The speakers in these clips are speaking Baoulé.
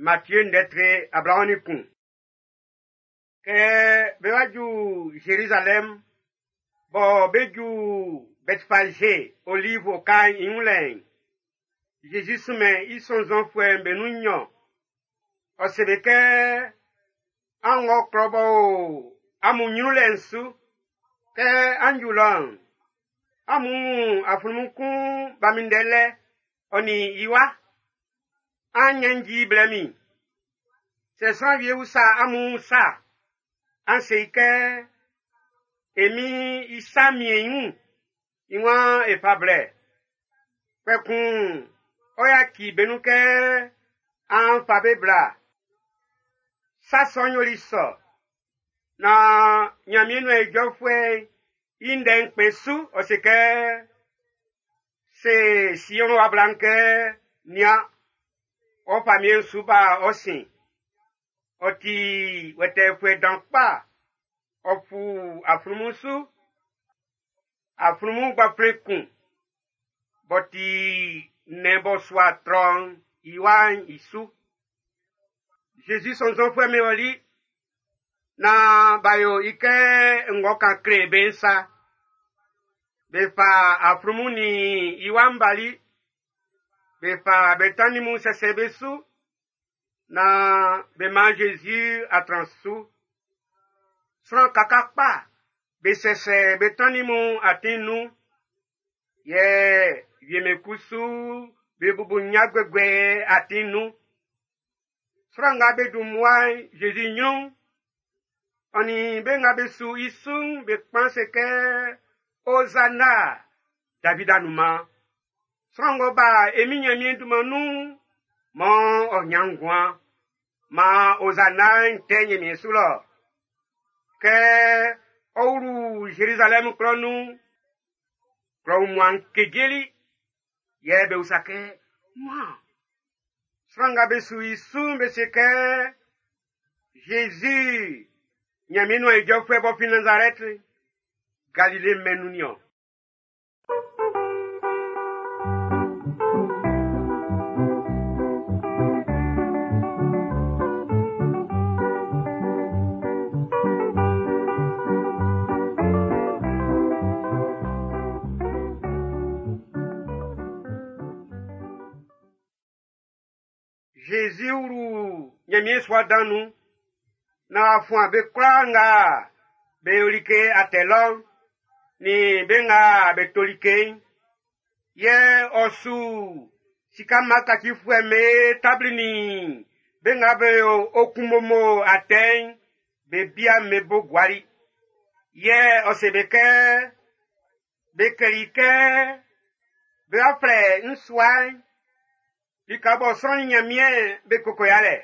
Matthieu ndɛ tre 21. Kɛ be wa ju Zerizalɛm, bɔ be ju Bɛtfaze Olive oka'n i wun lɛ'n, Zezi sunmɛn i sɔnnzɔnfuɛ'm be nun nnyɔn. Ɔ se be kɛ, an wɔ klɔ b'ɔ o amun nyrun lɛ'n su. Kɛ an ju lɔ'n, amun wun aflunmun kun b'a minndɛ lɛ, ɔ nin i wa. An nyanji blɛ min. Sɛ sran wie usa amun sa, an se i kɛ, e min i sa mien i wun, i waan e fa blɛ. Kpɛkun, ɔ yaci be nun kɛ an fa be bla. Sa sɔ'n yoli sɔ. Na Ɲanmiɛn nuan ijɔfuɛ'n i ndɛ'n kpɛn su, ɔ se kɛ, se Sion wa bla'n kɛ, nian, ɔ famiɛn'n su ba ɔ sin. Ɔ ti wɛtɛɛfuɛ dan kpa. Ɔ fu aflunmun su. Aflunmun gbaflɛn kun. B'ɔ ti nnɛn b'ɔ sua trɔ'n i wa'n i su. Zezi sɔnnzɔnfuɛ'm be ɔli na b'a yo i kɛ ng'ɔ kan kle be'n sa. Be fa aflunmun nin i wa'n bali. Be fa be tannin mun sɛsɛ be su. Na be man Zezi atran su. Sran kaka kpa be sɛsɛ be tannin mun atin nun. Yɛ wie'm be kusu be bubu nnya guɛguɛ atin nun. Sran nga be dun mmua Zezi ɲrun'n, ɔ nin be nga be su i su'n be kpan se kɛ, Ozana, David anunman. Sran ng'ɔ ba e Min Nyanmiɛn dunman nun'n, mɔ ɔ nyan nguan. Maan Ozana'n tɛ Nyanmiɛn su lɔ. Kɛ ɔ wlu Zerizalɛm klɔ nun'n, klɔ wunmuan'n kejeli. Yɛ be usa kɛ, wan? Sran nga be su i su'n be se kɛ, Zezi, Nyanmiɛn nuan ijɔfuɛ b'ɔ fin Nazarɛti, Galile mɛn'n nun niɔn. Zezi wlu Ɲanmiɛn sua dan nun. Na w'a fuan be kwlaa nga be yo like atɛ lɔ'n, nin be nga be to like'n. Yɛ ɔ su sika mma kacifuɛ'm be tabli nin be nga be yo okunmomo atɛ'n be bia'm be bo guali. Yɛ ɔ se be kɛ, be kleli kɛ be wa flɛ n sua'n lika bɔ sran nin Ɲanmiɛn be koko yalɛ.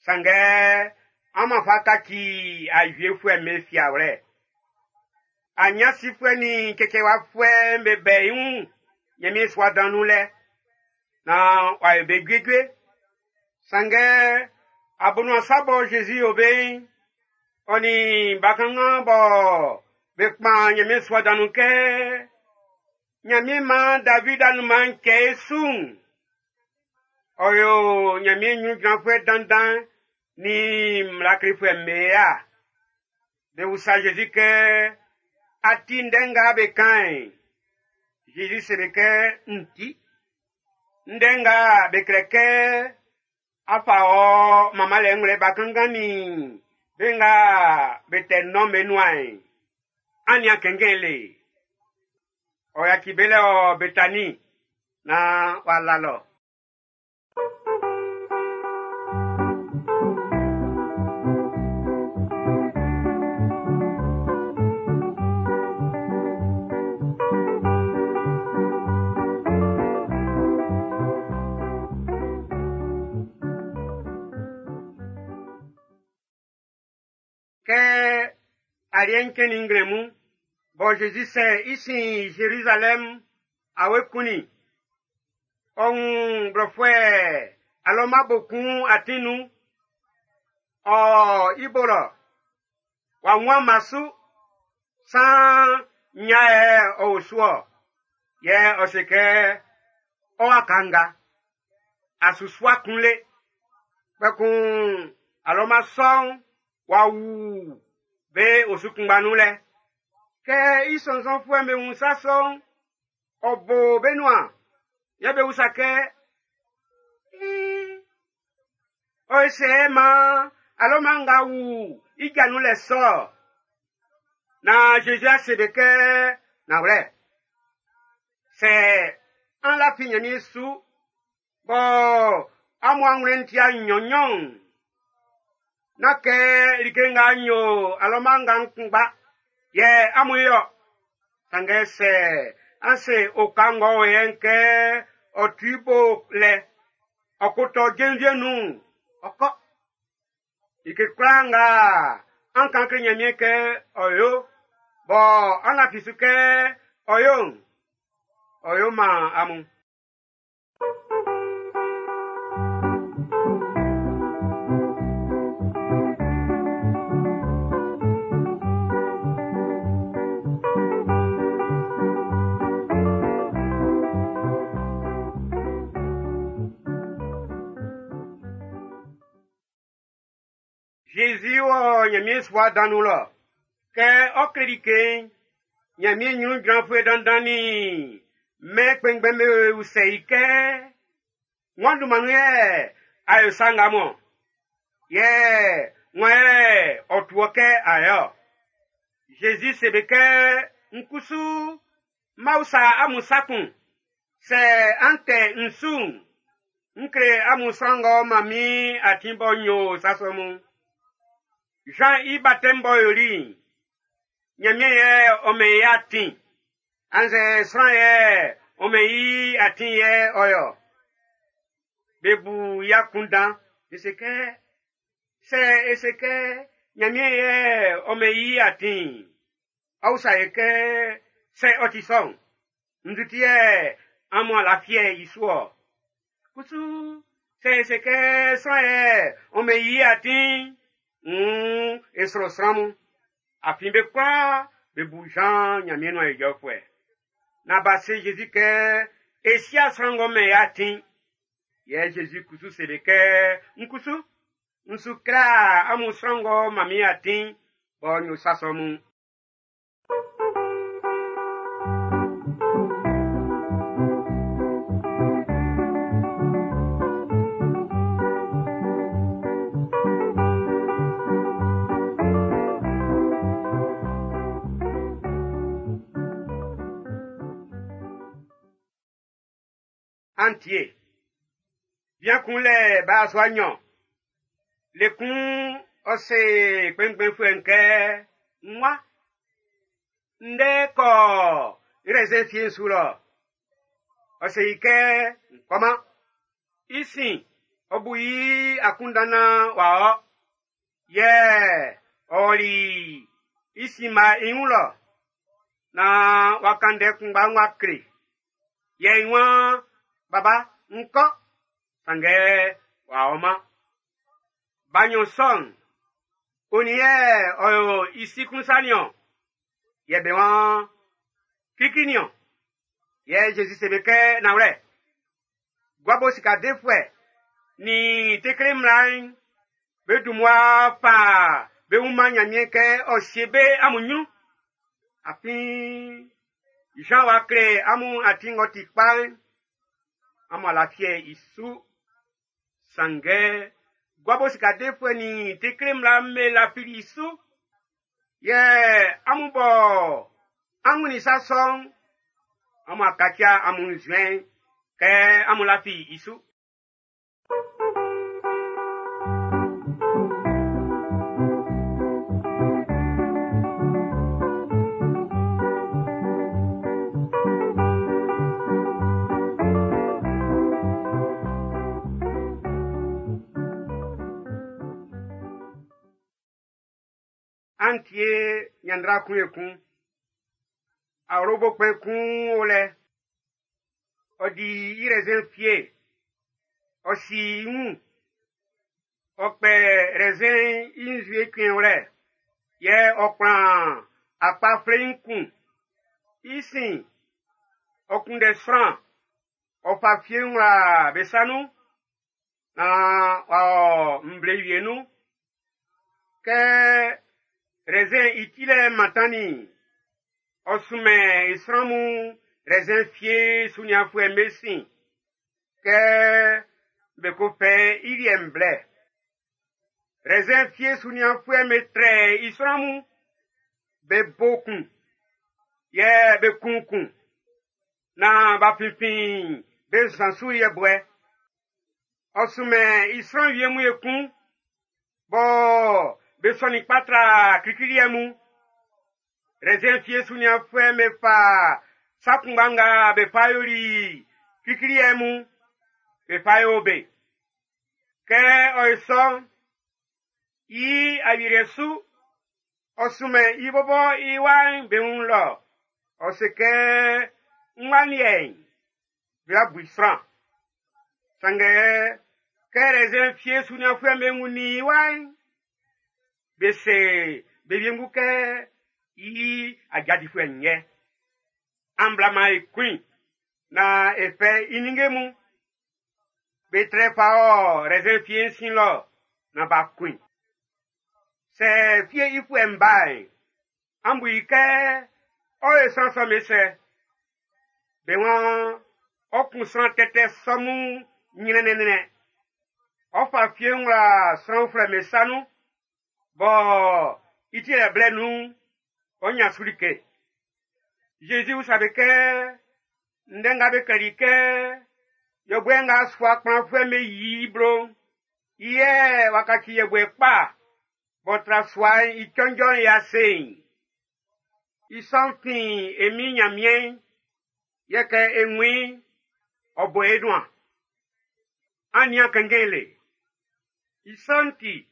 Sanngɛ an fa kaci awiefuɛ'm be fiawlɛ. Anyansifuɛ nin cɛcɛwafuɛ'm be bɛ i wun Ɲanmiɛn sua dan nun lɛ. Na w'a yo be juejue. Sanngɛ abonuan sa bɔ Zezi yo be'n, ɔ nin bakanngan bɔ be kpan Ɲanmiɛn sua dan nun kɛ Ɲanmiɛn maan David anunman'n cɛ e su'n, ɔ yo Ɲanmiɛn ɲrun jranfuɛ dandan nin mmla klefuɛ'm be ya. Be usa Zezi kɛ, a ti ndɛ nga be kan'n? Zezi se be kɛ, n ti. Ndɛ nga be klɛ kɛ, a fa ɔ manmanlɛ ngwlɛ bakanngan nin be nga be tɛ nɔn be nuan'n, an nian kɛnngɛn le. Ɔ yaci be lɛ ɔ Betani na w'a la lɔ. Kɛ aliɛ'n cɛnnin nglɛmun, bɔ Zezi sɛ i sin Zerizalɛm awe kunnin. Ɔ wun blɔfuɛ alɔma bo kun atin nun. Ɔ i bo lɔ. W'a wun ama su. San nya yɛ ɔ o su ɔ. Yɛ ɔ se kɛ, ɔ wa kanga. A su sua kun le. Kpɛkun alɔma sɔ'n w'a wu be osu kunngba nun lɛ. Kɛ i sɔnnzɔnfuɛ'm be wun sa sɔ'n, ɔ bo be nuan. Yɛ be usa kɛ, “Ɔ se maan alɔma nga wu i ja nun lɛ sɔ?” Na Zezi a se be kɛ, “Nanwlɛ, sɛ an lafi Ɲanmiɛn su, bɔ amun anwlɛn'n ti'a nnyɔn-nnyɔn'n, nán kɛ like nga n yo alɔma nga n kunngba yɛ amun yo. Sanngɛ sɛ an se oka ng'ɔ o yɛ'n kɛ ɔ tu i bo lɛ, ɔ ko tɔ jenvie nun'n, ɔ kɔ. Like kwlaa nga an kan kle Ɲanmiɛn kɛ ɔ yo, bɔ an lafi su kɛ ɔ yo'n, ɔ yo man amun. Zezi wɔ Ɲanmiɛn sua dan nun lɔ. Kɛ ɔ kle like'n, Ɲanmiɛn ɲrun jranfuɛ dandan nin mɛn kpɛnngbɛn'm be usɛ i kɛ: “Wan dunman nun yɛ a yo sa nga mun-ɔn? Yɛ wan yɛ ɔ tu wɔ kɛ a yo-ɔ?” Zezi se be kɛ: “N kusu n ma usa amun sa kun. Sɛ an tɛ n su'n, n kle amun sran ng'ɔ man min atin bɔ n yo sa sɔ mun'n. Zan i batɛm b'ɔ yoli'n, Ɲanmiɛn yɛ ɔ mɛn i atin, annzɛ sran yɛ ɔ mɛn i atin yɛ ɔ yo?” Be bu i akunndan, be se kɛ: “Sɛ e se kɛ Ɲanmiɛn yɛ ɔ mɛn i atin'n, ɔ usa e kɛ: ‘Sɛ ɔ ti sɔ'n, nzu ti yɛ amun a lafiɛ i su ɔ?’ Kusu sɛ e se kɛ sran yɛ ɔ mɛn i atin'n, wuun e sro sran mun. Afin be kwlaa be bu Zan Ɲanmiɛn nuan ijɔfuɛ.” Na b'a se Zezi kɛ: “E si'a sran ng'ɔ mɛn i atin'n.” Yɛ Zezi kusu se be kɛ: “N kusu, n su kle amun sran ng'ɔ man min atin bɔ n yo sa sɔ mun'n.” An tie. Bian kun lɛ ba yasua nɲɔn. Le kun ɔ se kpɛnngbɛnfuɛ'n kɛ: ‘N wa, ndɛ kɔ rɛzɛn fie'n su lɔ.’ Ɔ se i kɛ: ‘N kɔman.’ I sin, ɔ bu i akunndan naan w'a ɔ. Yɛ ɔ ɔli i sinma i wun lɔ naan w'a kan ndɛ kunngba'n w'a kle. Yɛ i waan: ‘Baba, n kɔ.’ Sanngɛ w'a ɔman. Ba nɲɔn sɔ'n, onin yɛ ɔ yo i si klun sa niɔn? Yɛ be waan: ‘Klikli niɔn.’ Yɛ Zezi se be kɛ: ‘Nanwlɛ, gua bo sika defuɛ nin tekle mmla'n, be dun mmua fa be wun man Ɲanmiɛn kɛ ɔ sie be amun ɲrun. Afin Zan w'a kle amun atin ng'ɔ ti kpa'n, amun a lafiɛ i su. Sanngɛ gua bo sika defuɛ nin tekle mmla'm be lafili i su. Yɛ amun bɔ an wunnin sa sɔ'n, amun a kaci amun nzuɛn'n kɛ amun lafi i su.” An tie ɲanndra kun ekun. Awlobo kpɛn kun o lɛ. Ɔ di i rɛzɛn fie. Ɔ si i wun. Ɔ kpɛ rɛzɛn'n i nzue cuɛnwlɛ, yɛ ɔ kplan akpa fleiin kun. I sin, ɔ kunndɛ sran, ɔ fa fie'n wla be sa nun naan w'a ɔ nvle wie nun. Kɛ rɛzɛn i tilɛ'n mantannin'n, ɔ sunmɛn i sran mun rɛzɛn fie sunianfuɛ'm be sin kɛ be ko fɛ i liɛ'n blɛ. Rɛzɛn fie sunianfuɛ'm be trɛ i sran mun, be bo kun, yɛ be kun kun, naan b'a finfin be nsan su yɛbuɛ. Ɔ sunmɛn i sran wie mun ekun, bɔ be sɔnnin kpa tra klikli liɛ mun. Rɛzɛn fie sunianfuɛ'm be fa sa kunngba nga be fa yoli klikli liɛ mun, be fa yo be. Kɛ ɔ ye sɔ'n, i awieliɛ su, ɔ sunmɛn i bɔbɔ i wa'n be wun lɔ. Ɔ se kɛ, n wa liɛ'n, be bu i sran. Sanngɛ, kɛ rɛzɛn fie sunianfuɛ'm be wunnin i wa'n, be se be wiengu kɛ i ajadifuɛ'n yɛ. An bla man e kun i, naan e fɛ i ninnge mun. Be trɛ fa ɔ rɛzɛn fie'n sin lɔ naan b'a kun i. Sɛ fie i fuɛ'n ba'n, an bu i kɛ ɔ ye sran sɔ'm be sɛ. Be waan ɔ kun sran tɛtɛ sɔ mun ɲrɛnnɛnnɛn. Ɔ fa fie'n wla sran uflɛ be sa nun, bɔ i ti yɛ blɛ nun'n, ɔ ɲan su like. Zezi usa be kɛ, ndɛ nga be klɛli kɛ, yɔbuɛ nga sua kplanfuɛ'm be yi i blo'n, i yɛ w'a kaci yɛbuɛ kpa b'ɔ tra sua'n i cɔnjɔ'n i ase'n. I sɔ'n fin e Min Nyanmiɛn'n, yɛ kɛ e wun i'n, ɔ bo e nuan. An nian kɛnngɛn le. I sɔ'n ti,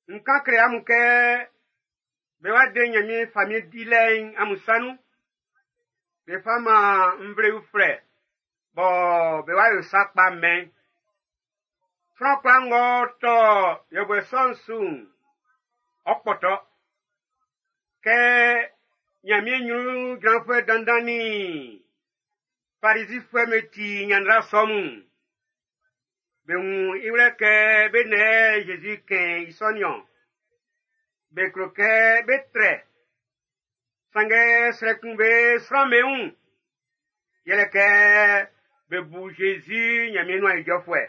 n kan kle amun kɛ be wa de Nyanmiɛn famiɛn dilɛ'n amun sa nun. Be fa man nvle uflɛ bɔ be wa yo sa kpa mɛn. Sran kwlaa ng'ɔ tɔ yɛbuɛ sɔ'n su'n, ɔ kpɔtɔ. Kɛ Nyanmiɛn ɲrun jranfuɛ dandan nin Farizifuɛ'm be ti ɲanndra sɔ mun'n, be wun i wlɛ kɛ be nɛ Zezi kɛn i sɔ niɔn. Be klo kɛ be trɛ. Sanngɛ srɛ kun be sran'm be wun. Yɛlɛ kɛ be bu Zezi Nyanmiɛn nuan ijɔfuɛ.